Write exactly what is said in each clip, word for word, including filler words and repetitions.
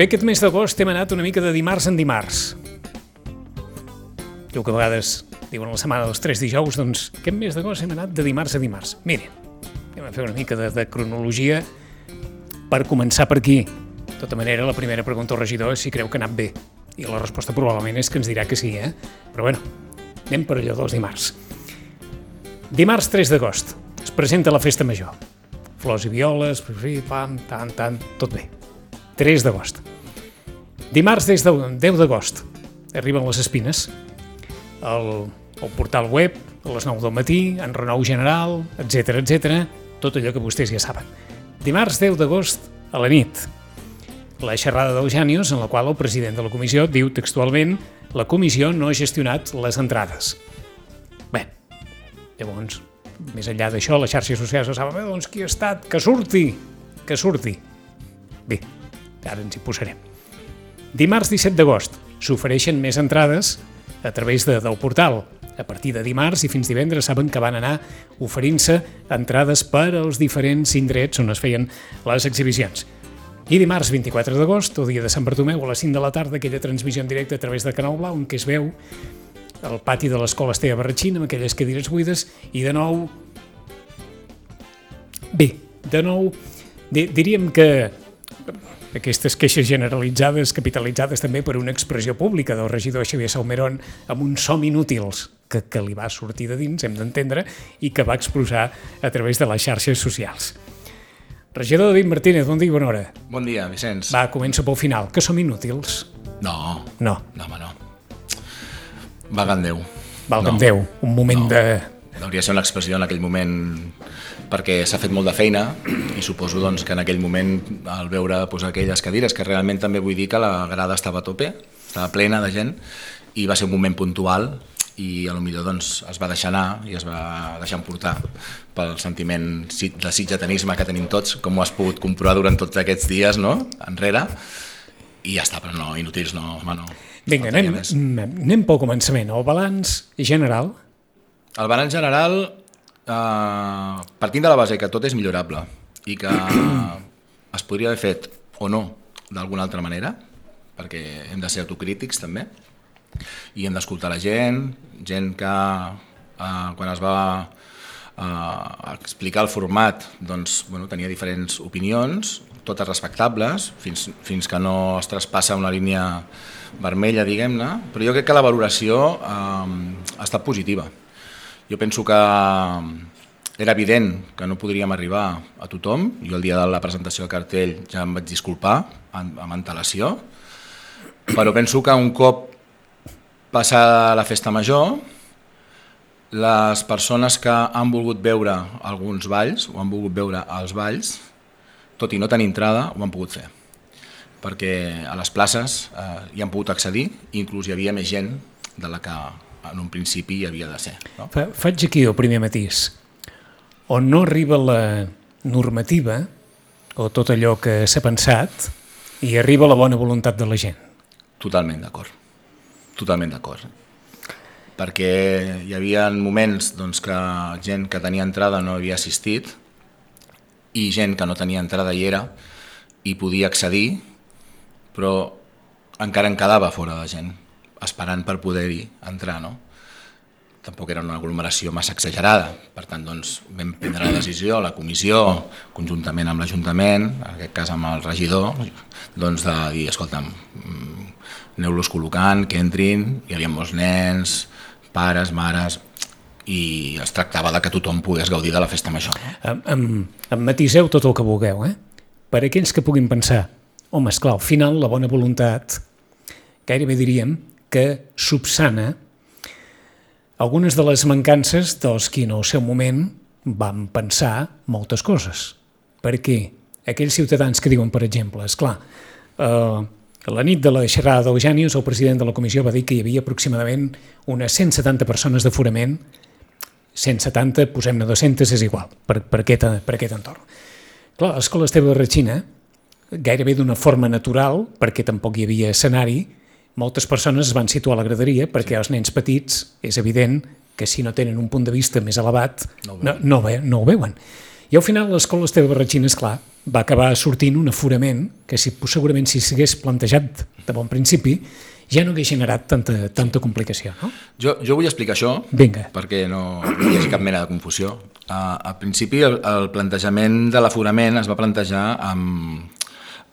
Bé, aquest mes d'agost hem anat una mica de dimarts en dimarts. Jo que a vegades diuen la setmana dels tres dijous, doncs aquest mes d'agost hem anat de dimarts a dimarts. Miren, anem a fer una mica de, de cronologia per començar per aquí. De tota manera, la primera pregunta al regidor és si creu que ha anat bé. I la resposta probablement és que ens dirà que sí, eh? Però bueno, anem per allò dels dimarts. Dimarts tres d'agost es presenta la festa major. Flors i violes, pam, tant, tant, tot bé. tres d'agost. Dimarts des de deu d'agost arriben les espines. El, el portal web, a les nou del matí, en renou general, etcètera, etcètera, tot allò que vostès ja saben. Dimarts deu d'agost a la nit, la xerrada d'Eugenius, en la qual el president de la comissió diu textualment: la comissió no ha gestionat les entrades. Bé, llavors, més enllà d'això, les xarxes socials no saben, doncs qui ha estat? Que surti! Que surti! Bé, ara ens hi posarem. Dimarts disset d'agost s'ofereixen més entrades a través de, del portal. A partir de dimarts i fins divendres saben que van anar oferint-se entrades per als diferents indrets on es feien les exhibicions. I dimarts vint-i-quatre d'agost, el dia de Sant Bartomeu, a les cinc de la tarda, aquella transmissió en directe a través de Canal Blau, en què es veu el pati de l'escola Esteve Barratxín amb aquelles cadires buides i de nou... Bé, de nou, di- diríem que aquestes queixes generalitzades, capitalitzades també per una expressió pública del regidor Xavier Salmerón amb uns som inútils que, que li va sortir de dins, hem d'entendre, i que va expressar a través de les xarxes socials. Regidor David Martínez, bon dia i bona hora. Bon dia, Vicenç. Va, començo pel final. Que som inútils? No. No. No, home, no. Valga'm Déu. Valga'm no. Déu, un moment no. de... Hauria de ser una expressió en aquell moment perquè s'ha fet molt de feina i suposo doncs, que en aquell moment al veure pues, aquelles cadires, que realment també vull dir que la grada estava a tope, estava plena de gent i va ser un moment puntual i a lo millor doncs, es va deixar anar i es va deixar emportar pel sentiment de sitgetanisme que tenim tots, com ho has pogut comprovar durant tots aquests dies, no? Enrere, i ja està, però no, inútils no, home, no. Vinga, anem, anem pel començament. El balanç general? El balanç general, eh, partint de la base que tot és millorable i que es podria haver fet o no d'alguna altra manera, perquè hem de ser autocrítics també, i hem d'escoltar la gent, gent que eh, quan es va eh, explicar el format doncs, bueno, tenia diferents opinions, totes respectables, fins, fins que no es traspassa una línia vermella, diguem-ne, però jo crec que la valoració eh, ha estat positiva. Jo penso que era evident que no podríem arribar a tothom. Jo el dia de la presentació del cartell ja em vaig disculpar amb antelació, però penso que un cop passada la festa major, les persones que han volgut veure alguns balls o han volgut veure els balls, tot i no tenir entrada, ho han pogut fer. Perquè a les places eh, hi han pogut accedir i inclús hi havia més gent de la que en un principi hi havia de ser. No? Fa, faig aquí el primer matís. On no arriba la normativa o tot allò que s'ha pensat i arriba la bona voluntat de la gent. Totalment d'acord. Totalment d'acord. Perquè hi havia moments doncs, que gent que tenia entrada no havia assistit i gent que no tenia entrada hi era i podia accedir, però encara en quedava fora de gent, esperant per poder-hi entrar, no? Tampoc era una aglomeració massa exagerada, per tant doncs, vam prendre la decisió, la comissió, conjuntament amb l'Ajuntament, en aquest cas amb el regidor, doncs de dir, escolta'm, aneu-los col·locant, que entrin, hi havia molts nens, pares, mares, i es tractava de que tothom pogués gaudir de la festa major. No? Em, em, em matiseu tot el que vulgueu, eh? Per aquells que puguin pensar, home, esclar, al final la bona voluntat, gairebé diríem, que subsana algunes de les mancances dels qui en el seu moment van pensar moltes coses. Perquè aquells ciutadans que diuen, per exemple, esclar, eh, a la nit de la xerrada d'Eugenius, el president de la comissió va dir que hi havia aproximadament unes cent setanta persones d'aforament, cent setanta, posem-ne dues-centes, és igual, per, per, aquest, per aquest entorn. Clar, a l'escola Esteve Barratxín, gairebé d'una forma natural, perquè tampoc hi havia escenari, moltes persones es van situar a la graderia perquè els nens petits és evident que si no tenen un punt de vista més elevat no, no, no, no ho veuen. I al final l'escola Esteve Barratxín, esclar, va acabar sortint un aforament que si, segurament si s'hagués plantejat de bon principi ja no hagués generat tanta, tanta complicació, no? Jo, jo vull explicar això, Vinga. perquè no, no hi hagi cap mena de confusió. Uh, al principi el, el plantejament de l'aforament es va plantejar amb,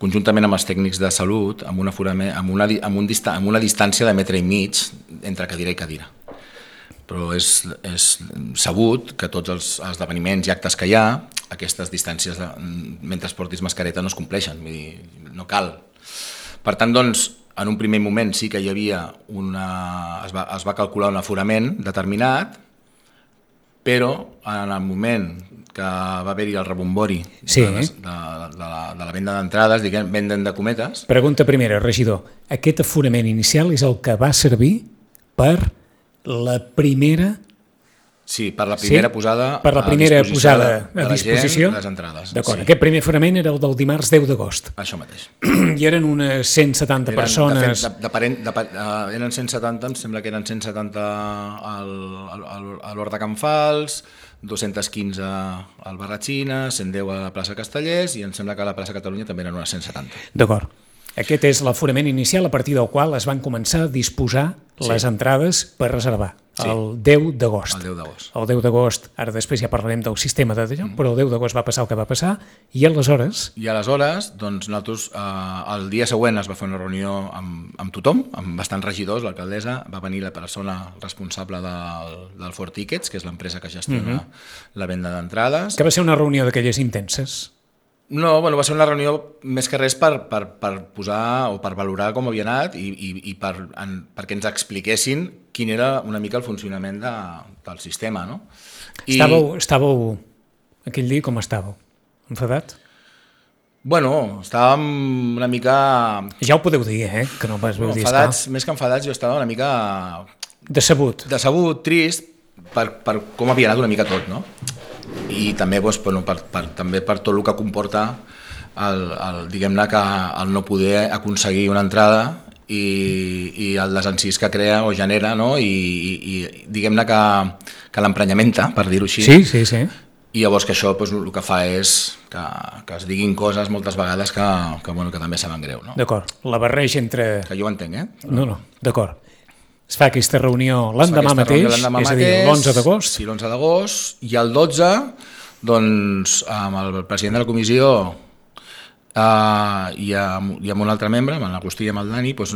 conjuntament amb els tècnics de salut amb una, aforament, amb, una, amb, un dista, amb una distància de metre i mig entre cadira i cadira. Però és, és sabut que tots els esdeveniments i actes que hi ha, aquestes distàncies, de, mentre portis mascareta, no es compleixen, vull dir, no cal. Per tant, doncs, en un primer moment sí que hi havia una... es va, es va calcular un aforament determinat, però en el moment que va haver-hi el rebombori sí. de, les, de, de, la, de la venda d'entrades, diguem, venden de cometes... Pregunta primera, regidor. Aquest aforament inicial és el que va servir per la primera... Sí, per la primera sí? posada per la primera a disposició, posada de, de a disposició de les entrades. D'acord, sí. Aquest primer aforament era el del dimarts deu d'agost. Això mateix. I eren unes cent setanta eren, persones... De fet, de, de, de, de, uh, eren cent setanta, em sembla que eren cent setanta al, al, al, a l'Hort de Can Fals, dos-cents quinze al Barratxina, cent deu a la plaça Castellers i em sembla que a la plaça Catalunya també eren unes cent setanta. D'acord. Aquest és l'aforament inicial a partir del qual es van començar a disposar sí. les entrades per reservar. Sí. El deu d'agost. El deu d'agost. El deu d'agost, ara després ja parlarem del sistema de d'allò, mm. però el deu d'agost va passar el que va passar i aleshores... I aleshores, doncs nosaltres, eh, el dia següent es va fer una reunió amb, amb tothom, amb bastants regidors, l'alcaldessa, va venir la persona responsable del, del Ford Tickets, que és l'empresa que gestiona mm-hmm. la venda d'entrades. Que va ser una reunió d'aquelles intenses? No, bueno, va ser una reunió més que res per, per, per posar o per valorar com havia anat i, i, i per, en, perquè ens expliquessin quin era una mica el funcionament de, del sistema, no? I... Estàveu, estàveu, aquell dia com estàveu? Enfadat? Bueno, estàvem una mica... Ja ho podeu dir, eh? Que no vas no, dir, enfadats, més que enfadats, jo estava una mica... Decebut. Decebut, trist, per, per com havia anat una mica tot, no? I també, doncs, per, per, per, també per tot el que comporta el, el, diguem-ne que el no poder aconseguir una entrada i, i el desencís que crea o genera, no? I, i, i diguem-ne que, que l'emprenyamenta, per dir-ho així. Sí, sí, sí. I llavors que això doncs, el que fa és que, que es diguin coses moltes vegades que, que, bueno, que també saben greu. No? D'acord, la barreja entre... Que jo ho entenc, eh? Però... No, no, d'acord. Es fa aquesta reunió l'endemà mateix, reunió és a dir, l'onze d'agost. Sí, l'onze d'agost, i el dotze, doncs, amb el president de la comissió eh, i, amb, i amb un altre membre, amb l'Agustí i amb el Dani, doncs,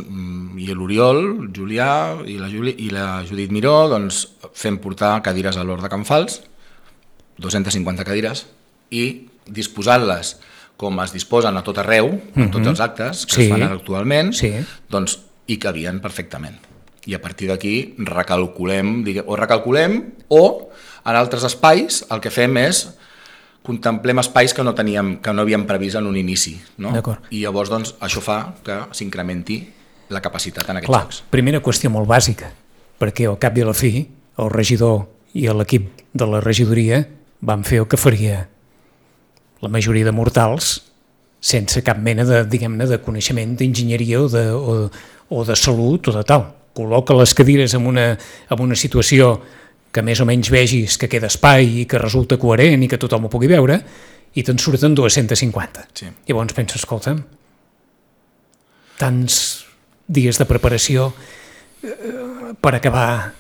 i l'Oriol, el Julià i la, Juli, i la Judit Miró, doncs, fem portar cadires a l'Hort de Can Fals, dos-centes cinquanta cadires, i disposant-les com es disposen a tot arreu, mm-hmm. en tots els actes que sí. es fan actualment, sí. doncs hi cabien perfectament. I a partir d'aquí recalculem, diguem, o recalculem o en altres espais el que fem és contemplem espais que no teníem, que no havíem previst en un inici, no? I llavors doncs, això fa que s'incrementi la capacitat en aquests Clar, jocs. Primera qüestió molt bàsica, perquè al cap i a la fi el regidor i l'equip de la regidoria van fer el que faria la majoria de mortals sense cap mena de, diguem-ne, de coneixement d'enginyeria o, de, o, o de salut o de tal. Col·loca les cadires en una, en una situació que més o menys vegis que queda espai i que resulta coherent i que tothom ho pugui veure, i te'n surten dos-centes cinquanta. Sí. I llavors penses, escolta'm, tants dies de preparació eh, per acabar...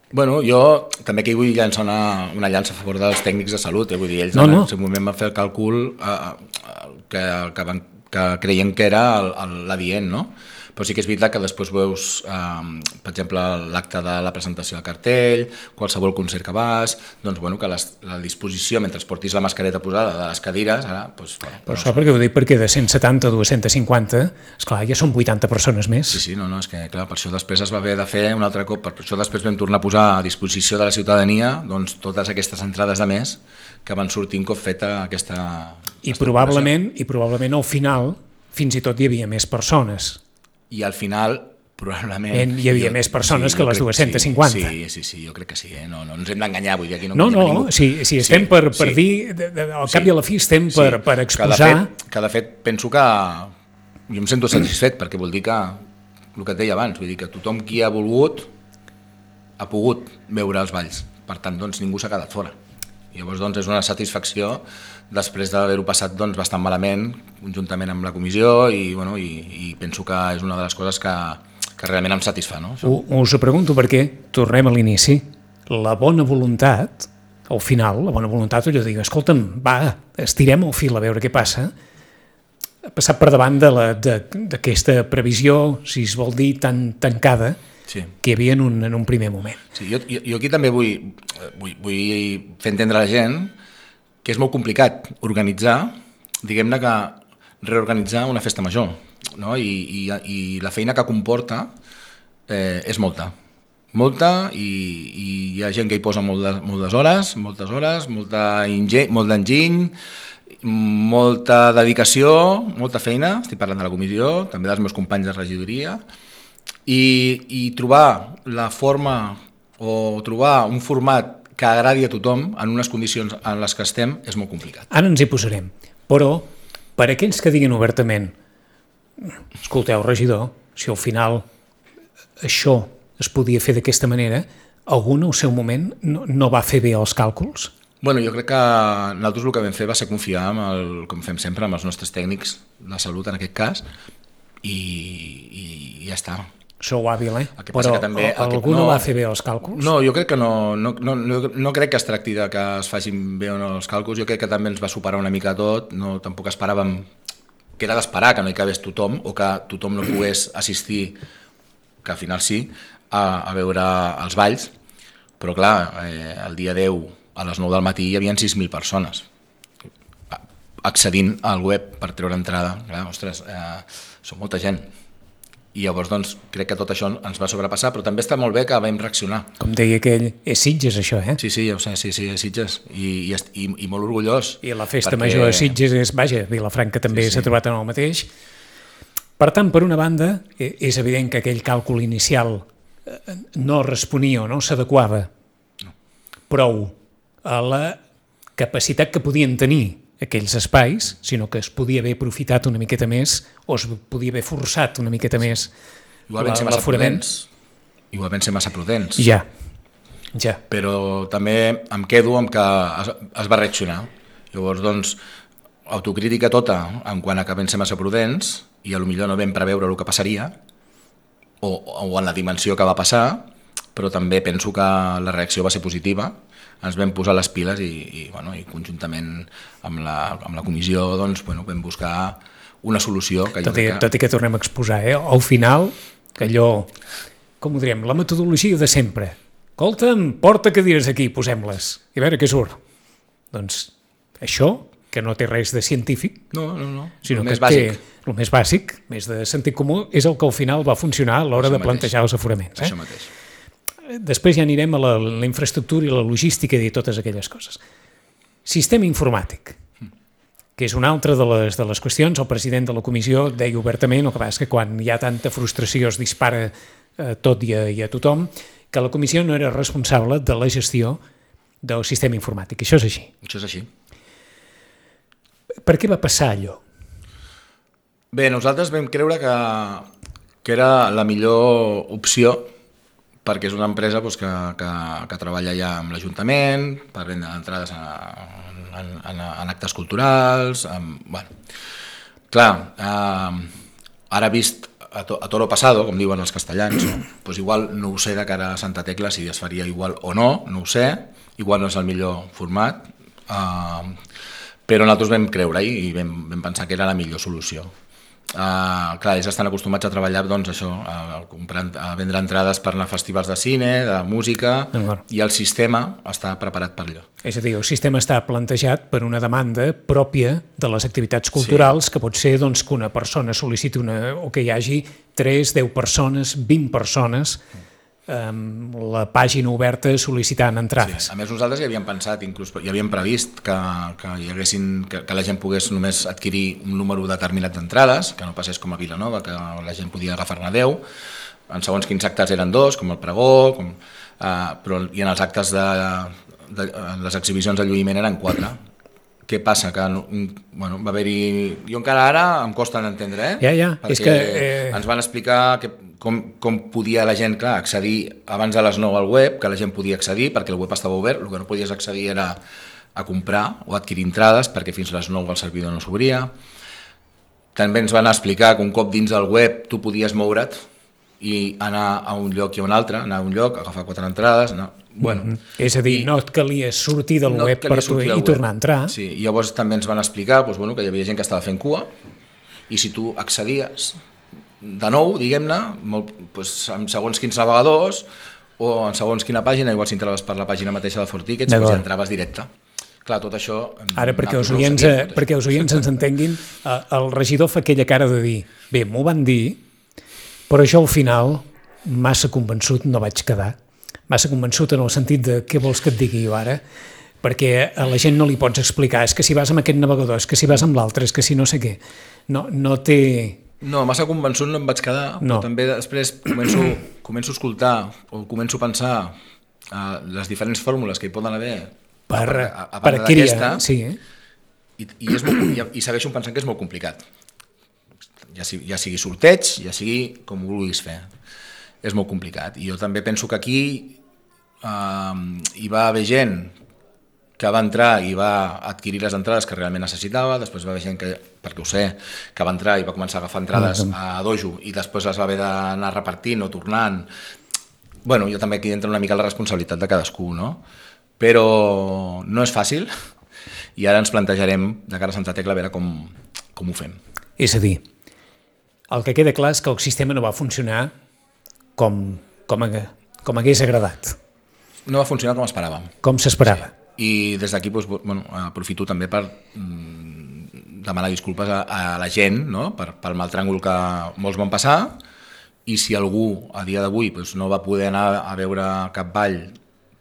Bueno, jo també aquí vull llançar una, una llança a favor dels tècnics de salut, eh? Vull dir, ells no, en no. el seu moment van fer el càlcul eh, que, que, van, que creien que era l'adient, no? Però sí que és veritat que després veus, eh, per exemple, l'acte de la presentació del cartell, qualsevol concert que vas, doncs, bueno, que les, la disposició, mentre portis la mascareta posada de les cadires, ara... Doncs, bueno, però això perquè ho dic perquè de cent setanta a dos-centes cinquanta, esclar, ja són vuitanta persones més. Sí, sí, no, no, és que, clar, per això després es va haver de fer un altre cop, per això després vam tornar a posar a disposició de la ciutadania, doncs, totes aquestes entrades de més que van sortir un cop feta aquesta... I probablement, i probablement al final fins i tot hi havia més persones. I al final, probablement... Hi havia jo, més persones sí, que les dos-cents cinquanta. Sí, sí, sí, jo crec que sí, eh? no, no ens hem d'enganyar, vull dir, aquí no No, no, ningú. sí, sí, estem sí, per, per sí. dir, de, de, al cap sí, i a la fi estem sí, per, per exposar... Que de, fet, que de fet penso que jo em sento satisfet, perquè vol dir que, el que et deia abans, vull dir que tothom qui ha volgut ha pogut veure els balls, per tant, doncs ningú s'ha quedat fora. Llavors, doncs, és una satisfacció després d'haver-ho passat doncs, bastant malament, conjuntament amb la comissió, i, bueno, i, i penso que és una de les coses que, que realment em satisfà. No? U, us ho pregunto perquè, tornem a l'inici, la bona voluntat, al final, la bona voluntat, allò de dir, escolta'm, va, estirem el fil a veure què passa, ha passat per davant d'aquesta previsió, si es vol dir, tan tancada, sí, que hi havia en un, en un primer moment. Sí, jo, jo, jo aquí també vull, vull, vull fer entendre a la gent que és molt complicat organitzar, diguem-ne que reorganitzar una festa major, no? I, i, i la feina que comporta eh, és molta. Molta, i, i hi ha gent que hi posa moltes, moltes hores, moltes hores, molta ingeny, molt d'enginy, molta dedicació, molta feina, estic parlant de la comissió, també dels meus companys de regidoria, i, i trobar la forma o trobar un format que agradi a tothom en unes condicions en les que estem és molt complicat. Ara ens hi posarem, però per aquells que diguin obertament, escolteu, regidor, si al final això es podia fer d'aquesta manera, algú en el seu moment no, no va fer bé els càlculs? Bueno, jo crec que nosaltres el que vam fer va ser confiar, amb el, com fem sempre, amb els nostres tècnics de salut en aquest cas, i, i, i ja està. Sou hàbil, eh? Però que també, algú que, no, no va fer bé els càlculs? No, jo crec que no, no, no, no, no crec que es tracti de que es facin bé o no els càlculs, jo crec que també ens va superar una mica tot, no, tampoc esperàvem, que era d'esperar que no hi cabés tothom, o que tothom no pogués assistir, que al final sí, a, a veure els balls, però clar, eh, el dia deu a les nou del matí hi havia sis mil persones accedint al web per treure entrada. Clar, ostres, eh, són molta gent. I llavors doncs, crec que tot això ens va sobrepassar, però també està molt bé que vam reaccionar. Com deia aquell, és Sitges això, eh? Sí, sí, ja ho sé, sí, sí, és Sitges, i, i, i, i molt orgullós. I la festa perquè... major de Sitges és, vaja, Vilafranca també s'ha sí, sí. trobat en el mateix. Per tant, per una banda, és evident que aquell càlcul inicial no responia o no s'adequava no. prou a la capacitat que podien tenir aquells espais, sinó que es podia haver aprofitat una miqueta més o es podia haver forçat una miqueta més l'aforament. Igual vam ser massa prudents. Ja, ja. Però també em quedo amb que es, es va reaccionar. Llavors, doncs, autocrítica tota en quant a que vam ser massa prudents i potser no vam preveure el que passaria o, o en la dimensió que va passar, però també penso que la reacció va ser positiva. Ens vam posar les piles i, i, bueno, i conjuntament amb la, amb la comissió doncs, bueno, vam buscar una solució. Que tot, jo i, que... tot i que tornem a exposar, eh? Al final, que allò, com ho diríem, la metodologia de sempre. Escolta'm, porta cadires aquí, posem-les, i a veure què surt. Doncs això, que no té res de científic, no, no, no. sinó el que més bàsic. té el més bàsic, més de sentit comú, és el que al final va funcionar a l'hora de plantejar els aforaments. Eh? Això mateix. Després ja anirem a la, la infraestructura i la logística i totes aquelles coses. Sistema informàtic, que és una altra de les, de les qüestions. El president de la comissió deia obertament, el que passa que quan hi ha tanta frustració es dispara a tot i a, i a tothom, que la comissió no era responsable de la gestió del sistema informàtic. Això és així. Això és així. Per què va passar allò? Bé, nosaltres vam creure que, que era la millor opció perquè és una empresa doncs, que, que, que treballa ja amb l'Ajuntament, per vendre entrades en, en, en, en actes culturals. En, bueno. Clar, eh, ara vist a, to, a toro pasado, com diuen els castellans, no? Pues igual no ho sé de cara a Santa Tecla si es faria igual o no, no ho sé, igual no és el millor format, eh, però nosaltres vam creure-hi i vam, vam pensar que era la millor solució. Uh, clar, ells estan acostumats a treballar doncs, això, a, comprar, a vendre entrades per anar a festivals de cine, de música, i el sistema està preparat per allò. És a dir, el sistema està plantejat per una demanda pròpia de les activitats culturals, sí. que pot ser doncs, que una persona sol·liciti una, o que hi hagi tres, deu persones, vint persones amb la pàgina oberta sol·licitant entrades. Sí. A més, nosaltres hi havíem pensat, inclús hi havíem previst que, que, hi haguessin, que, que la gent pogués només adquirir un número determinat d'entrades, que no passés com a Vilanova, que la gent podia agafar-ne deu, en segons quins actes eren dos, com el pregó, com, eh, però, i en els actes de, de, de les exhibicions de lluïment eren quatre. Què passa? Que bueno, va haver-hi... Jo encara ara em costa d'entendre, eh? Ja, ja. Perquè és que, eh... ens van explicar que, com, com podia la gent, clar, accedir abans de les nou al web, que la gent podia accedir perquè el web estava obert, el que no podies accedir era a comprar o a adquirir entrades perquè fins a les nou el servidor no s'obria. També ens van explicar que un cop dins del web tu podies moure't i anar a un lloc i a un altre, anar a un lloc, agafar quatre entrades... Anar... Bueno, mm -hmm. És a dir, i no et calia sortir del no web per tu i tornar a entrar. Sí, i llavors també ens van explicar doncs, bueno, que hi havia gent que estava fent cua i si tu accedies de nou, diguem-ne, doncs, en segons quins navegadors o en segons quina pàgina, igual si entraves per la pàgina mateixa de ForTickets, doncs entraves directe. Clar, tot això... Ara, perquè els oients, eh, perquè els oients ens entenguin, eh, el regidor fa aquella cara de dir, bé, m'ho van dir, però jo al final, massa convençut no vaig quedar. Massa convençut en el sentit de què vols que et digui jo ara, perquè a la gent no li pots explicar, és que si vas amb aquest navegador, és que si vas amb l'altre, és que si no sé què. No, no té... No, massa convençut no em vaig quedar, no. Però també després començo, començo a escoltar o començo a pensar uh, les diferents fórmules que hi poden haver per, a, a, a per adquirir, sí. I, i, és molt, i, i segueixo pensant que és molt complicat. Ja, ja sigui sorteig, ja sigui com ho vulguis fer. És molt complicat. I jo també penso que aquí uh, hi va haver gent que va entrar i va adquirir les entrades que realment necessitava, després va haver gent que, perquè ho sé, que va entrar i va començar a agafar entrades a dojo i després les va haver d'anar repartint o tornant. Bueno, jo també aquí entra una mica la responsabilitat de cadascú, no? Però no és fàcil i ara ens plantejarem de cara a Santa Tecla a veure com, com ho fem. És a dir, el que queda clar és que el sistema no va funcionar com, com, com hagués agradat. No va funcionar com esperàvem. Com s'esperava. Sí. I des d'aquí doncs, bueno, aprofito també per mm, demanar disculpes a, a la gent, no? per, pel mal tràngol que molts van passar, i si algú a dia d'avui doncs, no va poder anar a veure cap ball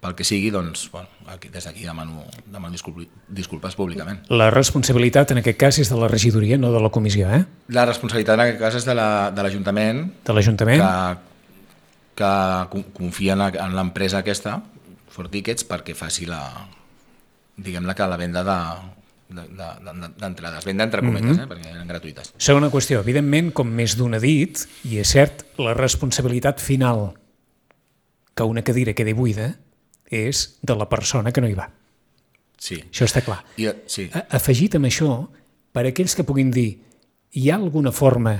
pel que sigui, doncs bueno, aquí, des d'aquí demano, demano disculpes, disculpes públicament. La responsabilitat en aquest cas és de la regidoria, no de la comissió, eh? La responsabilitat en aquest cas és de l'Ajuntament, la, de l'Ajuntament que, que confia en, en l'empresa aquesta, ForTickets, perquè faci la... diguem-ne que la venda d'entrades, venda entre cometes, mm-hmm. eh, perquè eren gratuïtes. Segona qüestió, evidentment, com més d'un ha dit, i és cert, la responsabilitat final que una cadira quedi buida és de la persona que no hi va. Sí. Això està clar. I, sí. Afegit amb això, per a aquells que puguin dir, hi ha alguna forma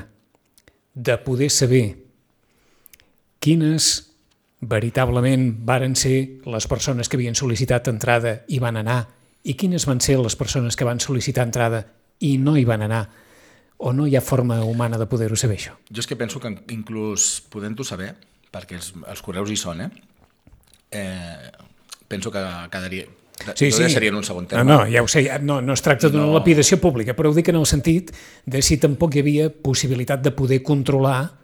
de poder saber quines veritablement varen ser les persones que havien sol·licitat entrada i van anar, i quines van ser les persones que van sol·licitar entrada i no hi van anar, o no hi ha forma humana de poder-ho saber, això? Jo és que penso que inclús podent-ho saber, perquè els, els correus hi són, eh? eh penso que quedaria... Sí, sí. Seria en un segon terme. No, no, ja ho sé, no, no es tracta d'una no. lapidació pública, però ho dic en el sentit de si tampoc hi havia possibilitat de poder controlar.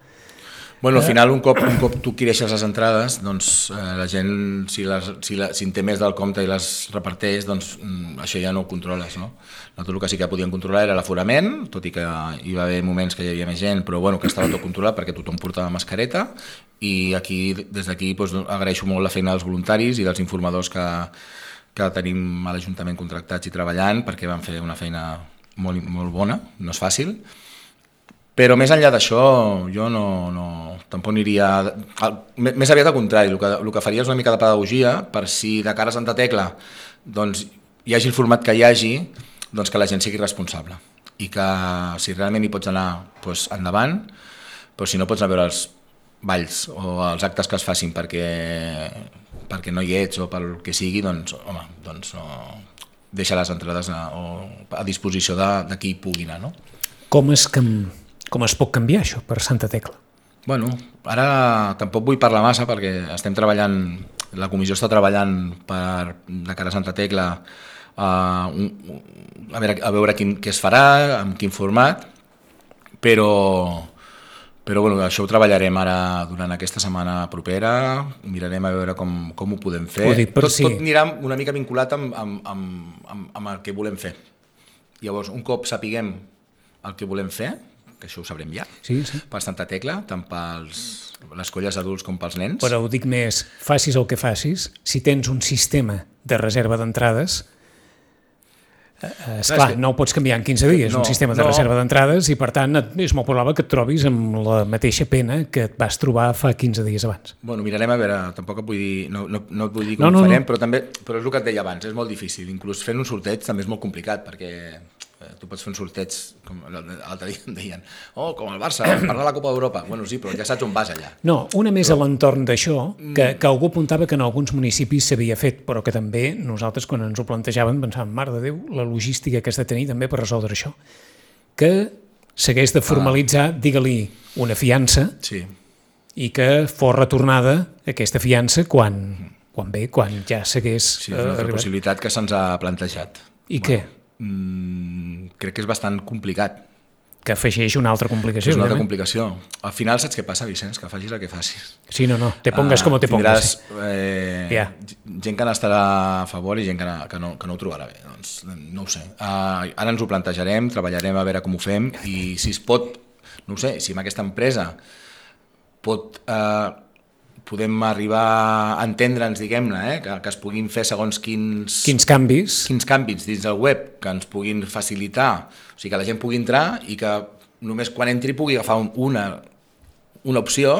Bueno, al final, un cop, un cop tu adquireixes les entrades, doncs eh, la gent, si, les, si, la, si en té més del compte i les reparteix, doncs mm, això ja no ho controles, no? Nosaltres el que sí que podíem controlar era l'aforament, tot i que hi va haver moments que hi havia més gent, però bueno, que estava tot controlat perquè tothom portava mascareta, i aquí, des d'aquí, doncs, agraeixo molt la feina dels voluntaris i dels informadors que, que tenim a l'Ajuntament contractats i treballant, perquè van fer una feina molt, molt bona, no és fàcil. Però més enllà d'això, jo no, no, tampoc aniria... Més aviat al contrari, el que, el que faria és una mica de pedagogia per si de cara a Santa Tecla doncs, hi hagi el format que hi hagi, doncs que la gent sigui responsable. I que si realment hi pots anar, doncs endavant, però si no pots anar a veure els balls o els actes que es facin perquè, perquè no hi ets o pel que sigui, doncs, home, doncs no, deixa les entrades a, a disposició de, de qui hi pugui anar, no? Com és que... Com es pot canviar això per Santa Tecla? Bueno, ara tampoc vull parlar massa perquè estem treballant, la comissió està treballant per, de cara a Santa Tecla a, a veure, a veure quin, què es farà, amb quin format, però, però bueno, això ho treballarem ara durant aquesta setmana propera, mirarem a veure com, com ho podem fer. Ho dic, tot, sí. tot anirà una mica vinculat amb, amb, amb, amb, amb el que volem fer. Llavors, un cop sapiguem el que volem fer, que això ho sabrem ja, sí, sí. per Santa Tecla, tant per les colles adults com pels nens. Però ho dic més, facis el que facis, si tens un sistema de reserva d'entrades, Esclar, no ho pots canviar en quinze dies, no, un sistema de no. reserva d'entrades, i per tant és molt probable que et trobis amb la mateixa pena que et vas trobar fa quinze dies abans. Bueno, mirarem a veure, tampoc et vull dir, no, no, no et vull dir com no, no, ho farem, no. però també però és el que et deia abans, és molt difícil, inclús fent un sorteig també és molt complicat, perquè tu pots fer un sorteig, com l'altre dia em deien, oh, com el Barça, per la Copa d'Europa. Bueno, sí, però ja saps on vas allà. No, una més però... a l'entorn d'això, que, que algú apuntava que en alguns municipis s'havia fet, però que també nosaltres, quan ens ho plantejàvem, pensàvem, mare de Déu, la logística que has de tenir també per resoldre això. Que s'hagués de formalitzar, ah. digue-li, una fiança, sí. i que fos retornada aquesta fiança quan, quan bé, quan ja s'hagués... Sí, és una altra possibilitat que se'ns ha plantejat. I bueno. què? Mm, crec que és bastant complicat. Que afegeix una altra complicació. És una altra complicació. Al final saps què passa, Vicenç? Que facis el que facis. Sí, no, no. Te pongas uh, com te pongas. Tindràs eh, yeah. gent que n'estarà a favor i gent que no, que no, que no ho trobarà bé. Doncs no ho sé. Uh, ara ens ho plantejarem, treballarem a veure com ho fem i si es pot, no ho sé, si amb aquesta empresa pot... Uh, podem arribar a entendre'ns, diguem-ne, eh? que, que es puguin fer segons quins... Quins canvis. Quins canvis dins del web que ens puguin facilitar, o sigui, que la gent pugui entrar i que només quan entri pugui agafar una, una opció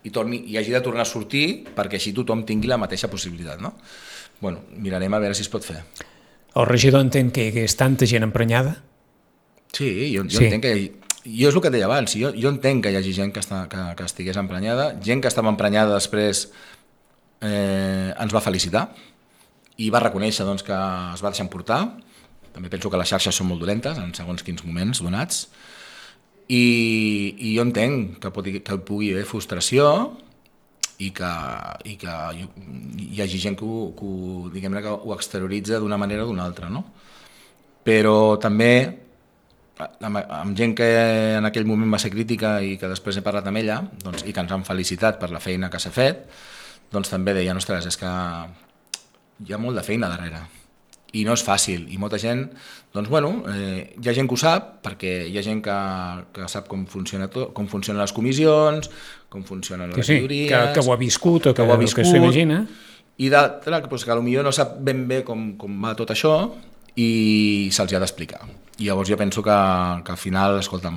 i, torni, i hagi de tornar a sortir perquè així tothom tingui la mateixa possibilitat, no? Bueno, mirarem a veure si es pot fer. El regidor entén que hi hagués tanta gent emprenyada? Sí, jo, jo sí. entenc que hi hagi... Jo és el que et deia abans, jo, jo entenc que hi hagi gent que, està, que, que estigués emprenyada, gent que estava emprenyada després eh, ens va felicitar i va reconèixer doncs, que es va deixar emportar. També penso que les xarxes són molt dolentes en segons quins moments donats i, i jo entenc que, pot, que pugui haver frustració i que, i que hi hagi gent que ho, que ho, diguem-ne, que ho exterioritza d'una manera o d'una altra, no? Però també amb, amb gent que en aquell moment va ser crítica i que després he parlat amb ella doncs, i que ens han felicitat per la feina que s'ha fet, doncs també deien, ostres, és que hi ha molt de feina darrere i no és fàcil, i molta gent doncs bueno, eh, hi ha gent que ho sap perquè hi ha gent que, que sap com funciona tot, com funcionen les comissions, com funcionen les sí, teories, que, que ho ha viscut o que, que ho ha viscut, que s'imagina, i d'altra doncs, que potser no sap ben bé com, com va tot això i se'ls ha d'explicar. I llavors jo penso que, que al final, escolta,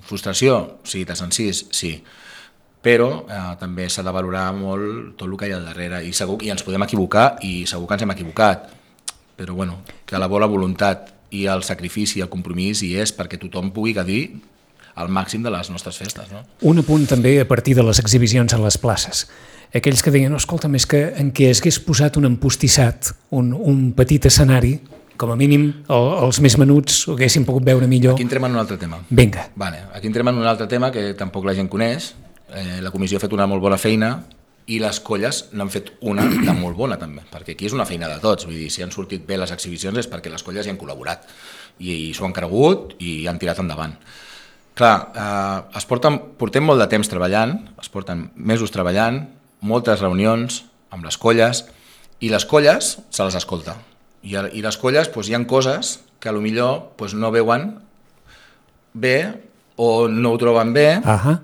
frustració, sí, t'has encís, sí, però eh, també s'ha de valorar molt tot el que hi ha al darrere i, segur, i ens podem equivocar i segur que ens hem equivocat, però bueno, que la bona voluntat i el sacrifici i el compromís hi és perquè tothom pugui gaudir al màxim de les nostres festes. No? Un apunt també a partir de les exhibicions a les places. Aquells que deien, no, escolta, més que en què es hagués posat un empostissat, un, un petit escenari, com a mínim el, els més menuts ho haguessin pogut veure millor. Aquí entrem en un altre tema. Vinga. Vale, aquí entrem en un altre tema que tampoc la gent coneix. Eh, la comissió ha fet una molt bona feina i les colles n'han fet una de molt bona també, perquè aquí és una feina de tots. Vull dir, si han sortit bé les exhibicions és perquè les colles hi han col·laborat i, i s'ho han cregut i han tirat endavant. Clar, eh, es porten, portem molt de temps treballant, es porten mesos treballant, moltes reunions amb les colles i les colles se les escolta. I, i les colles doncs, hi ha coses que potser doncs, no veuen bé o no ho troben bé. Uh-huh.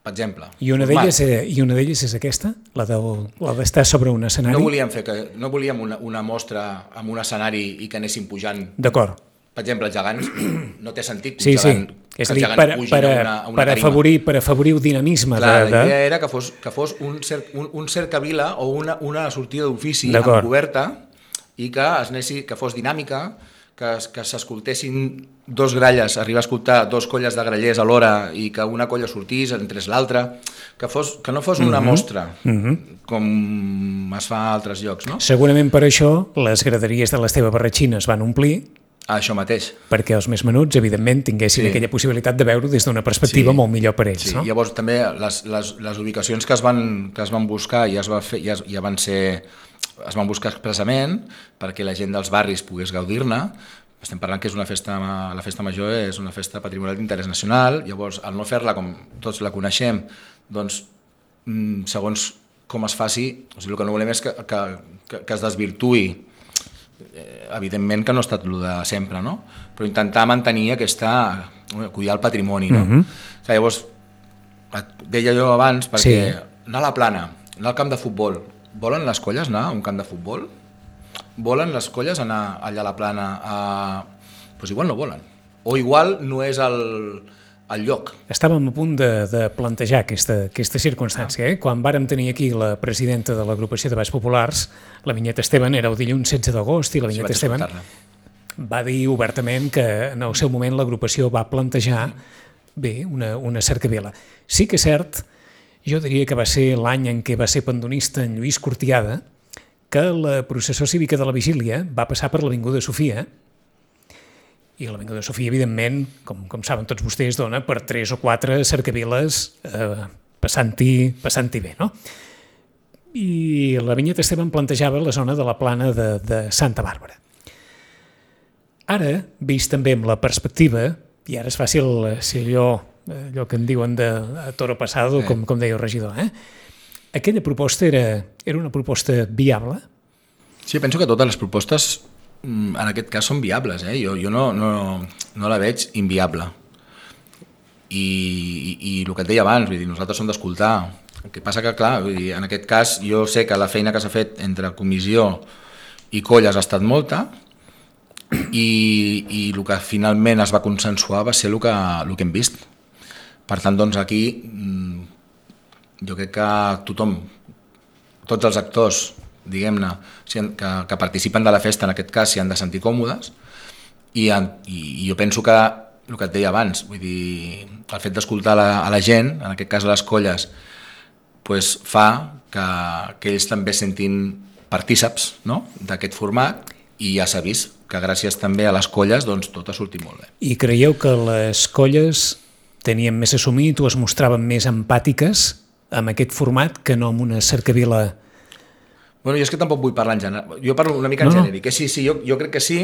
Per exemple. I una d'elles és, és aquesta? La d'estar de, sobre un escenari? No volíem, fer que, no volíem una, una mostra amb un escenari i que anéssim pujant. D'acord. Per exemple, els gegants, no té sentit que sí, un gegant, sí. És a dir, per, per, a una, a una per, afavorir, per afavorir el dinamisme. Clar, de, de... la idea era que fos, que fos un, cer, un, un cercavila o una, una sortida d'ofici amb coberta i que, es anessi, que fos dinàmica, que, que s'escoltessin dos gralles, arribar a escoltar dos colles de grallers alhora i que una colla sortís, entrés l'altra, que, fos, que no fos una mm-hmm. mostra, mm-hmm. com es fa a altres llocs. No? Segurament per això les graderies de l'Esteve Barratxina es van omplir, això mateix. Perquè els més menuts, evidentment, tinguessin sí. aquella possibilitat de veure-ho des d'una perspectiva sí. molt millor per ells. Sí. No? Llavors també les, les, les ubicacions que es van, que es van buscar ja, es va fer, ja, ja van ser... es van buscar expressament perquè la gent dels barris pogués gaudir-ne. Estem parlant que és una festa, la festa major és una festa patrimonial d'interès nacional, llavors al no fer-la com tots la coneixem, doncs segons com es faci, o sigui, el que no volem és que, que, que, que es desvirtuï, evidentment que no ha estat el de sempre, no? Però intentar mantenir aquesta, cuidar el patrimoni, no? Mm-hmm. Llavors, deia jo abans, perquè sí. anar a la plana, anar al camp de futbol, volen les colles anar a un camp de futbol? volen les colles anar allà a la plana? A... Pues igual no volen. O igual no és el, el lloc. Estàvem a punt de, de plantejar aquesta, aquesta circumstància. Eh? Quan vàrem tenir aquí la presidenta de l'agrupació de Balls Populars, la Vinyeta Esteban, era el dilluns setze d'agost, i la Vinyeta sí, Esteban va dir obertament que en el seu moment l'agrupació va plantejar bé, una, una cercavila. Sí que és cert, jo diria que va ser l'any en què va ser pandonista en Lluís Cortiada, que la processó cívica de la Vigília va passar per l'Avinguda Sofia, i l'Avinguda Sofia, evidentment, com, com saben tots vostès, dona per tres o quatre cercaviles eh, passant-hi passant-hi bé, no? I la Vinyeta Esteban plantejava la zona de la plana de, de Santa Bàrbara. Ara, vist també amb la perspectiva, i ara és fàcil ser allò, allò que en diuen de toro pasado, sí. com, com deia el regidor, eh? Aquella proposta era, era una proposta viable? Sí, penso que totes les propostes en aquest cas són viables, eh? jo, jo no, no, no la veig inviable. I, i, i el que et deia abans, vull dir, nosaltres som d'escoltar. El que passa que, clar, vull dir, en aquest cas jo sé que la feina que s'ha fet entre comissió i colles ha estat molta, i, i el que finalment es va consensuar va ser el que, el que hem vist. Per tant, doncs aquí jo crec que tothom, tots els actors, diguem-ne, que, que participen de la festa, en aquest cas, s'hi han de sentir còmodes, i, i, i jo penso que, el que et deia abans, vull dir, el fet d'escoltar la, a la gent, en aquest cas a les colles, pues, fa que, que ells també sentin partíceps, no?, d'aquest format, i ja s'ha vist que gràcies també a les colles doncs, tot ha sortit molt bé. I creieu que les colles tenien més assumit o es mostraven més empàtiques amb aquest format que no amb una cercavila? Bueno, jo és que tampoc vull parlar en general, jo parlo una mica en no, genèric, que sí, sí, jo, jo crec que sí,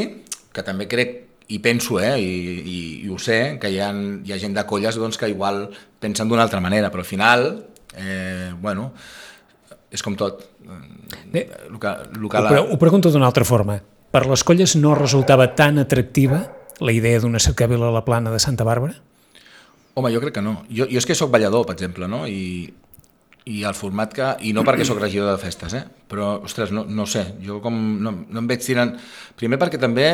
que també crec, i penso, eh, i, i, i ho sé, que hi ha, hi ha gent de colles doncs, que igual pensen d'una altra manera, però al final, eh, bueno, és com tot. Bé, el que, el que ho, la... ho pregunto d'una altra forma. Per les colles no resultava tan atractiva la idea d'una cercavila a la plana de Santa Bàrbara? Home, jo crec que no. Jo, jo és que soc ballador, per exemple, no? I... i el format que... i no perquè sóc regidor de festes, eh? Però, ostres, no, no sé, jo com no, no em veig tirant... Primer perquè també,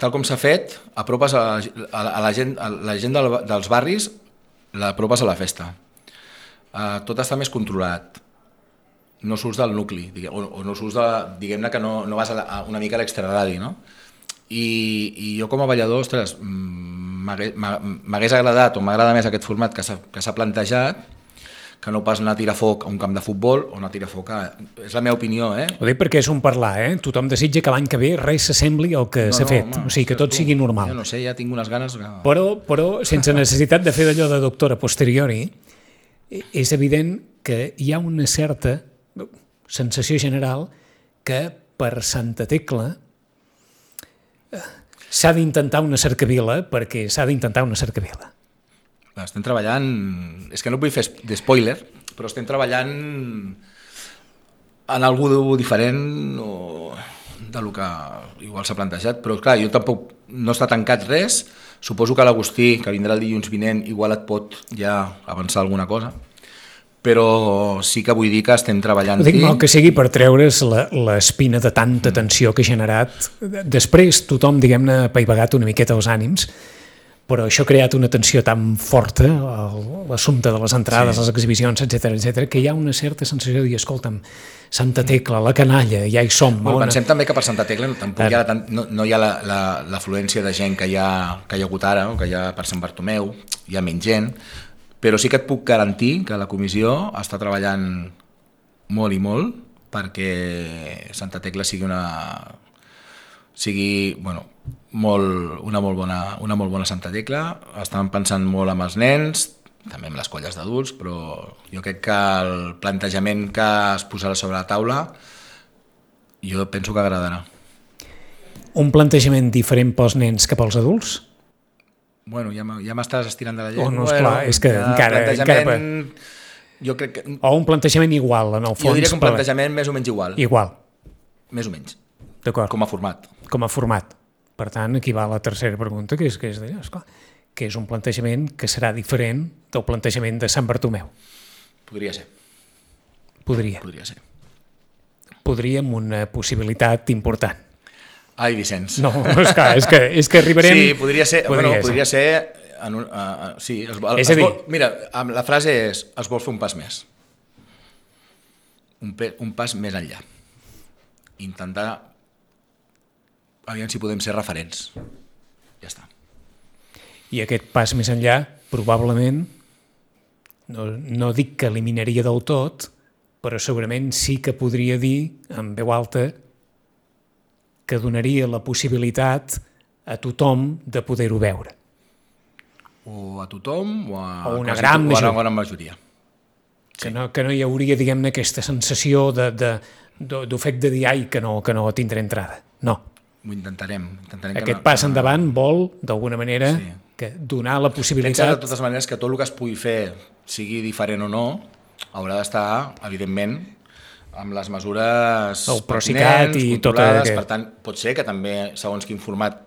tal com s'ha fet, apropes a, a, a la gent, a la gent del, dels barris, l'apropes a la festa. Uh, tot està més controlat. No surts del nucli, diguem, o, o no surts de... diguem-ne que no, no vas a, la, a una mica a l'extraradi, no? I, I jo com a ballador, ostres, m'hagués agradat o m'agrada més aquest format que s'ha plantejat, que no pas anar a tirar foc a un camp de futbol o anar a tirar foc a... És la meva opinió, eh? Ho dic perquè és un parlar, eh? Tothom desitja que l'any que ve res s'assembli al que s'ha no, no, fet, home, o sigui, que tot tu, sigui normal. Jo no sé, ja tinc unes ganes... Que... Però, però, sense necessitat de fer d'allò de doctora posteriori, és evident que hi ha una certa sensació general que per Santa Tecla s'ha d'intentar una cercavila perquè s'ha d'intentar una cercavila. Estem treballant, és que no vull fer d'espoiler, però estem treballant en algú diferent o del que igual s'ha plantejat, però clar, jo tampoc no està tancat res, suposo que l'Agustí, que vindrà el dilluns vinent, igual et pot ja avançar alguna cosa, però sí que vull dir que estem treballant... Ho dic mal que sigui per treure's l'espina de tanta tensió que ha generat. Després tothom, diguem-ne, ha apaivagat una miqueta els ànims, però això ha creat una tensió tan forta, l'assumpte de les entrades, sí. les exhibicions, etcètera, etcètera, que hi ha una certa sensació de dir, escolta'm, Santa Tecla, la canalla, ja hi som. Bueno, pensem també que per Santa Tecla tampoc hi ha tant, no, no hi ha l'afluència la, la, de gent que hi, ha, que hi ha hagut ara, o que hi ha per Sant Bartomeu, hi ha menys gent, però sí que et puc garantir que la comissió està treballant molt i molt perquè Santa Tecla sigui una sigui, bueno, molt, una, molt bona, una molt bona Santa Tecla. Estan pensant molt amb els nens, també amb les colles d'adults, però jo crec que el plantejament que es posarà sobre la taula jo penso que agradarà. Un plantejament diferent pels nens que pels adults? Bueno, ja m'estàs estirant de la llengua. Oh, no, esclar, és que encara... encara jo crec que... O un plantejament igual, en el fons. Jo diria que un plantejament més o menys igual. Igual. Més o menys. D'acord. Com a format. Com a format. Per tant, aquí va la tercera pregunta, que és, que és d'allò, esclar, que és un plantejament que serà diferent del plantejament de Sant Bartomeu. Podria ser. Podria. Podria ser. podríem una possibilitat important. Ai, Vicenç. No, és que, és que, és que arribarem... Sí, podria ser... Podria bueno, ser. podria ser en un, uh, uh, sí, es, el, és a es dir... vol, mira, la frase és es vol fer un pas més. Un, pe, un pas més enllà. Intentar... Aviam si podem ser referents. Ja està. I aquest pas més enllà, probablement, no, no dic que eliminaria del tot, però segurament sí que podria dir, en veu alta, que donaria la possibilitat a tothom de poder-ho veure. O a tothom o a, o una quasi, gran o a majoria. una gran majoria. Que, no, que no hi hauria, diguem-ne, aquesta sensació de, de, de, d'ofec de dir ai, que no, que no tindré entrada. No. Ho intentarem. intentarem Aquest no, pas que... endavant vol, d'alguna manera, sí. que donar la possibilitat... Pensa de totes maneres que tot el que es pugui fer, sigui diferent o no, haurà d'estar, evidentment, amb les mesures el Procicat i tot controlades. aquest... Per tant, pot ser que també, segons quin format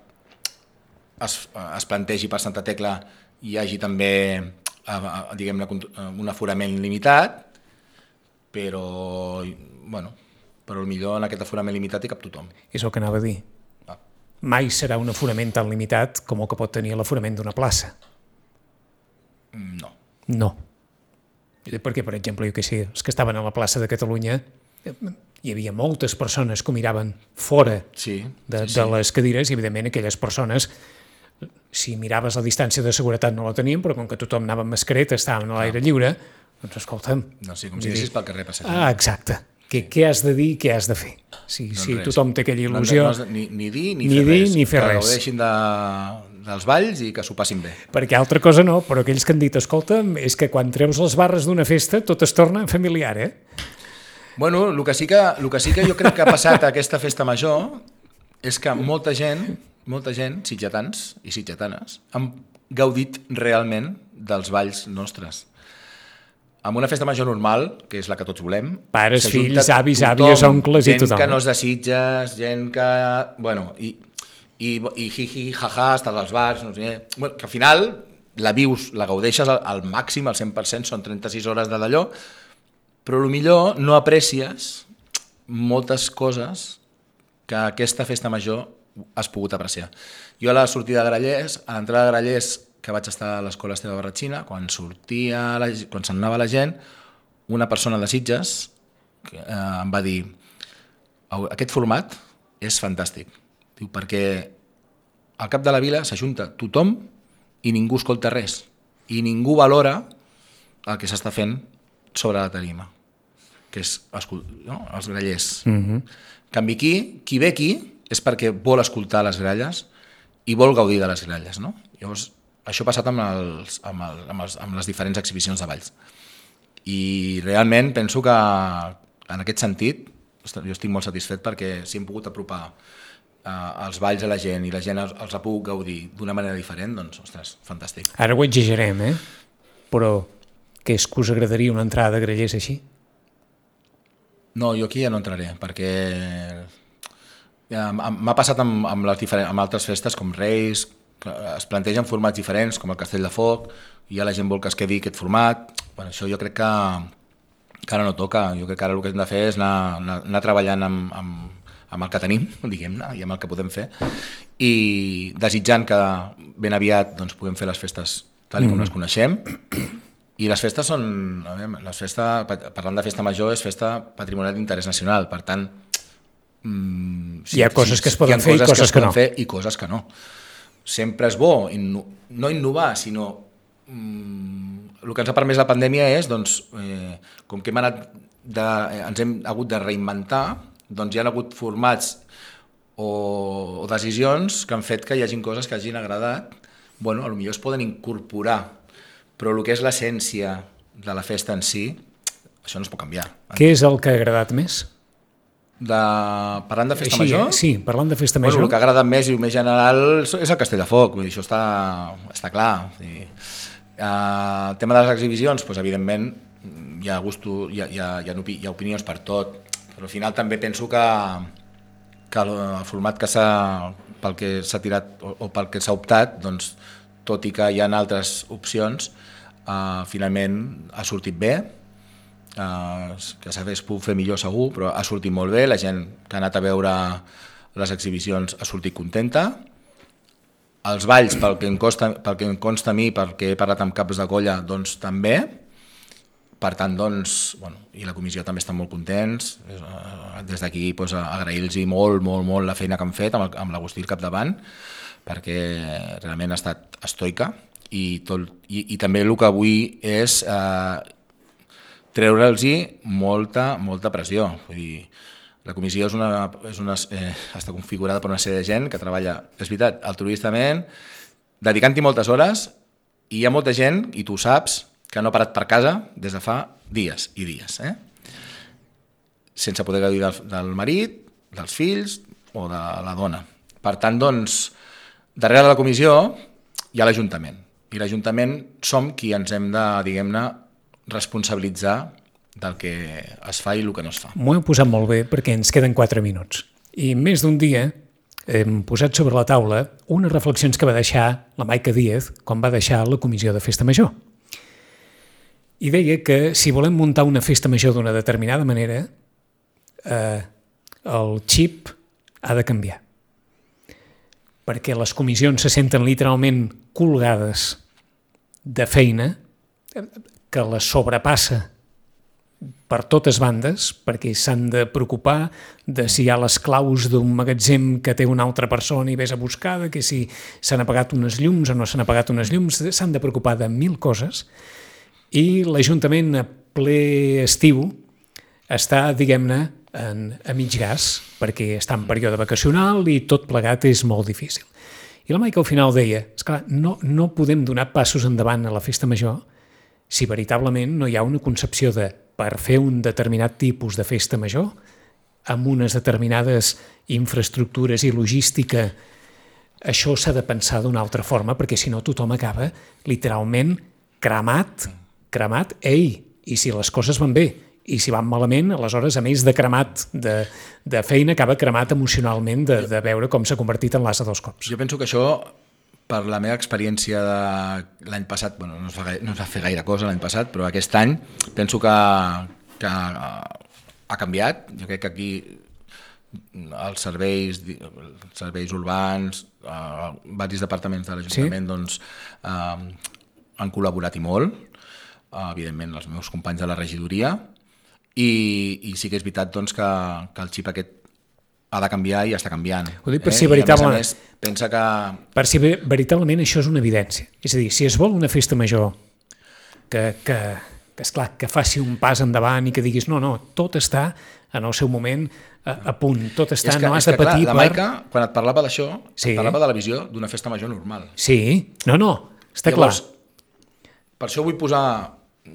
es, es plantegi per Santa Tecla, hi hagi també, diguem-ne, un aforament limitat, però, bueno, però millor en aquest aforament limitat hi cap tothom. És el que anava a dir. Ah. Mai serà un aforament tan limitat com el que pot tenir l'aforament d'una plaça. No. No. Perquè, per exemple, jo que sé, els que estaven a la plaça de Catalunya, hi havia moltes persones que ho miraven fora sí, de, sí, sí. de les cadires i, evidentment, aquelles persones, si miraves la distància de seguretat no la tenien, però com que tothom anava amb mascareta, estàvem a l'aire lliure, doncs escolta'm... No, sí, com si anessis pel carrer passejant. Ah, exacte. Què, què has de dir, què has de fer? Si, doncs si res. Tothom té aquella il·lusió... No, no, ni, ni dir ni, ni fer dir, res. ni fer que res. gaudeixin de, dels balls i que s'ho passin bé. Perquè altra cosa no, però aquells que han dit, escolta, és que quan treus les barres d'una festa tot es torna familiar, eh? Bueno, el que sí que, el que, sí que jo crec que ha passat a aquesta festa major és que molta gent, molta gent, sitgetans i sitgetanes, han gaudit realment dels balls nostres. En una festa major normal, que és la que tots volem... Pares, s'ajunta fills, avis, tothom, àvies, oncles i tothom. Gent que no és de Sitges, gent que... Bueno, i, i, i hi-hi, ha-ha, estàs als bars, no sé... Bueno, que al final la vius, la gaudeixes al, al màxim, al cent per cent, són trenta-sis hores de d'allò, però millor no aprecies moltes coses que aquesta festa major has pogut apreciar. Jo a la sortida de Grallers, a l'entrada de Grallers, que vaig estar a l'escola Esteve Barratxina, quan sortia, la, quan se'n anava la gent, una persona de Sitges que, eh, em va dir aquest format és fantàstic, diu, perquè al cap de la vila s'ajunta tothom i ningú escolta res, i ningú valora el que s'està fent sobre la tarima, que és no? els grallers. Mm-hmm. En canvi, qui, qui ve aquí és perquè vol escoltar les gralles i vol gaudir de les gralles, no? Llavors, això ha passat amb, els, amb, el, amb, els, amb les diferents exhibicions de balls. I realment penso que en aquest sentit jo estic molt satisfet perquè si hem pogut apropar eh, els balls a la gent i la gent els, els ha pogut gaudir d'una manera diferent, doncs, ostres, fantàstic. Ara ho exagerem, eh? Però què és que us agradaria una entrada de grallers així? No, jo aquí ja no entraré, perquè ja, m'ha passat amb, amb, les diferents, amb altres festes com Reis, que es plantegen formats diferents, com el Castell de Foc, i ja la gent vol que es quedi aquest format. Bueno, això jo crec que, que ara no toca. Jo crec que ara el que hem de fer és anar, anar, anar treballant amb, amb, amb el que tenim, diguem-ne, i amb el que podem fer, i desitjant que ben aviat doncs, puguem fer les festes tal com mm. les coneixem. I les festes són... A veure, les festes, parlant de festa major, és festa patrimonial d'interès nacional, per tant... Mmm, hi ha sí, coses sí, que es poden fer i coses coses que, que, que no. Fer i coses que no. Sempre és bo, inno, no innovar, sinó mm, el que ens ha permès la pandèmia és, doncs, eh, com que hem anat de, eh, ens hem hagut de reinventar, doncs hi ha hagut formats o, o decisions que han fet que hi hagin coses que hagin agradat, bueno, potser es poden incorporar, però el que és l'essència de la festa en si, això no es pot canviar. Què és el que ha agradat més? De... Parlant de festa Així, major? Sí, parlant de festa major. Bueno, el que ha agradat més i el més general és el Castell de Foc, vull dir, això està, està clar. Sí. Uh, el tema de les exhibicions, doncs, evidentment, hi ha, gusto, hi, ha, hi, ha, hi, ha, hi ha opinions per tot, però al final també penso que, que el format que s'ha, pel que s'ha tirat o, o pel que s'ha optat, doncs, tot i que hi ha altres opcions, uh, finalment ha sortit bé. eh, que s'hagués pogut fer millor segur, però ha sortit molt bé, la gent que ha anat a veure les exhibicions ha sortit contenta. Els balls, pel que em consta, pel que em consta a mi, perquè he parlat amb caps de colla, doncs també. Per tant, doncs, bueno, i la comissió també està molt contents. Des d'aquí doncs, agrair-los molt, molt, molt la feina que han fet amb, amb l'Agustí al capdavant, perquè realment ha estat estoica i, tot, i, i també el que vull és eh, treure'ls molta, molta pressió. Vull dir, la comissió és una, és una, eh, està configurada per una sèrie de gent que treballa, és veritat, altruistament, dedicant-hi moltes hores, i hi ha molta gent, i tu saps, que no ha parat per casa des de fa dies i dies, eh? Sense poder gaudir del, del marit, dels fills o de la dona. Per tant, doncs, darrere de la comissió hi ha l'Ajuntament, i l'Ajuntament som qui ens hem de, diguem-ne, responsabilitzar del que es fa i el que no es fa. M'ho heu posat molt bé perquè ens queden quatre minuts. I més d'un dia hem posat sobre la taula unes reflexions que va deixar la Maica Díez quan va deixar la comissió de Festa Major. I deia que si volem muntar una festa major d'una determinada manera, eh, el xip ha de canviar. Perquè les comissions se senten literalment colgades de feina que les sobrepassa per totes bandes, perquè s'han de preocupar de si hi ha les claus d'un magatzem que té una altra persona i vés a buscar, que si s'han apagat unes llums o no s'han apagat unes llums, s'han de preocupar de mil coses. I l'Ajuntament a ple estiu està, diguem-ne, en, a mig gas, perquè està en període vacacional i tot plegat és molt difícil. I la Maica al final deia, esclar, no, no podem donar passos endavant a la festa major si veritablement no hi ha una concepció de, per fer un determinat tipus de festa major, amb unes determinades infraestructures i logística, això s'ha de pensar d'una altra forma, perquè si no tothom acaba literalment cremat, cremat, ei, i si les coses van bé, i si van malament, aleshores, a més de cremat de, de feina, acaba cremat emocionalment de, de veure com s'ha convertit en l'asa dels cops. Jo penso que això, per la meva experiència de l'any passat, bueno, no es va, gaire, no es va fer gaire cosa l'any passat, però aquest any penso que, que ha canviat. Jo crec que aquí els serveis, els serveis urbans, eh, diversos departaments de l'Ajuntament, sí? doncs, eh, han col·laborat i molt, eh, evidentment els meus companys de la regidoria, i, i sí que és veritat doncs, que, que el xip aquest ha de canviar i està canviant. Ho dic per si eh? veritablement, més, pensa que... per si veritablement això és una evidència. És a dir, si es vol una festa major que, que, que, esclar, que faci un pas endavant i que diguis no, no, tot està en el seu moment a, a punt, tot està, que, no has de patir clar, la Maica, per... quan et parlava d'això, sí. et parlava de la visió d'una festa major normal. Sí, no, no, està Llavors, clar. Per això vull posar,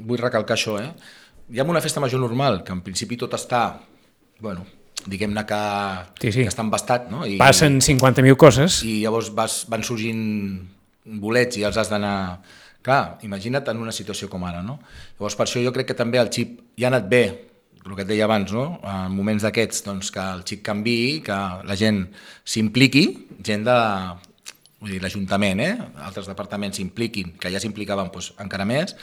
vull recalcar això, eh? Hi ha una festa major normal, que en principi tot està, bueno, diguem-ne que, sí, sí. que està embastat, no? I, passen cinquanta mil coses. I llavors vas, van sorgint bolets i els has d'anar... Clar, imagina't en una situació com ara, no? Llavors per això jo crec que també el xip ja ha anat bé, el que et deia abans, no? En moments d'aquests, doncs, que el xip canviï, que la gent s'impliqui, gent de... Vull dir, l'Ajuntament, eh? Altres departaments s'impliquin, que ja s'implicaven doncs, encara més,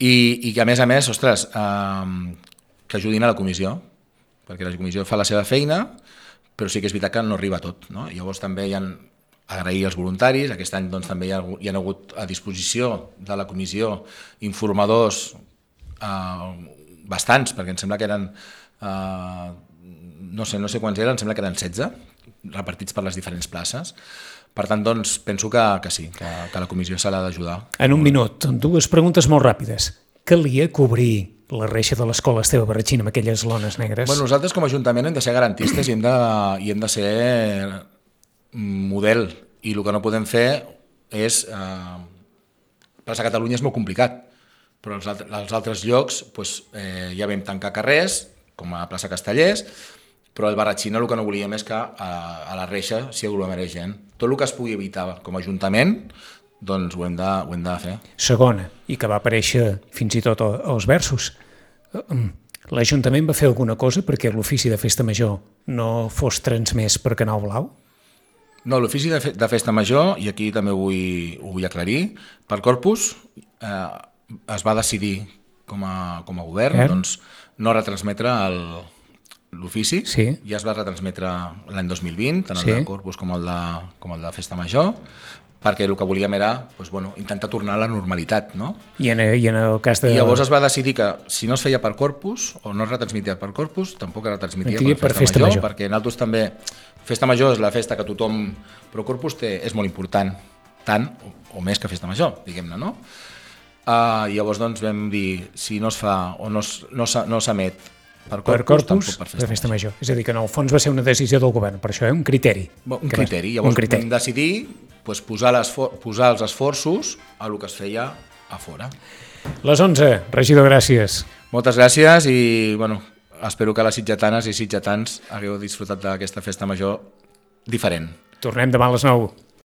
i, i que a més a més, ostres, eh, que ajudin a la comissió, perquè la comissió fa la seva feina, però sí que és veritat que no arriba a tot, no? Llavors també hi ha agrair als voluntaris, aquest any doncs, també hi ha, hi ha hagut a disposició de la comissió informadors eh, bastants, perquè em sembla que eren, eh, no sé, no sé quants eren, em sembla que eren setze, repartits per les diferents places. Per tant, doncs, penso que, que sí, que, que la comissió se l'ha d'ajudar. En un minut, dues preguntes molt ràpides. Calia cobrir la reixa de l'escola Esteve Barratxín amb aquelles lones negres? Bueno, nosaltres com a Ajuntament hem de ser garantistes i hem de, i hem de ser model. I el que no podem fer és... Eh, plaça Catalunya és molt complicat, però als, als altres llocs doncs, eh, ja vam tancar carrers, com a plaça Castellers, però el Barratxín el que no volíem és que a, a la reixa s'hi aglomerés gent. Tot el que es pugui evitar com a Ajuntament, doncs ho hem de, ho hem de fer. Segona, i que va aparèixer fins i tot als versos. L'Ajuntament va fer alguna cosa perquè l'ofici de festa major no fos transmès per Canal Blau? No, l'ofici de, fe, de festa major, i aquí també ho vull, ho vull aclarir, per Corpus eh, es va decidir com a, com a govern, eh? doncs, no retransmetre el, l'ofici. Sí. Ja es va retransmetre l'any dos mil vint, tant el Sí. de Corpus com el de, com el de Festa Major, perquè el que volíem era doncs, bueno, intentar tornar a la normalitat, no? I en, I en el cas de... I llavors es va decidir que si no es feia per Corpus o no es retransmitia per Corpus, tampoc es retransmitia per, per Festa, Festa Major, Major, perquè nosaltres també... Festa Major és la festa que tothom... Però Corpus té, és molt important, tant o, o més que Festa Major, diguem-ne, no? Uh, llavors doncs vam dir, si no es fa o no, es, no, no s'emet per Corpus, per Corpus, tampoc per Festa, per Festa Major. Major. És a dir, que en el fons va ser una decisió del govern, per això, eh? un criteri. Un que criteri. Va... Llavors un criteri. vam decidir pues, posar, posar els esforços a el que es feia a fora. Les onze, regidor, gràcies. Moltes gràcies i bueno, espero que les sitgetanes i sitgetans hagueu disfrutat d'aquesta festa major diferent. Tornem demà a les nou.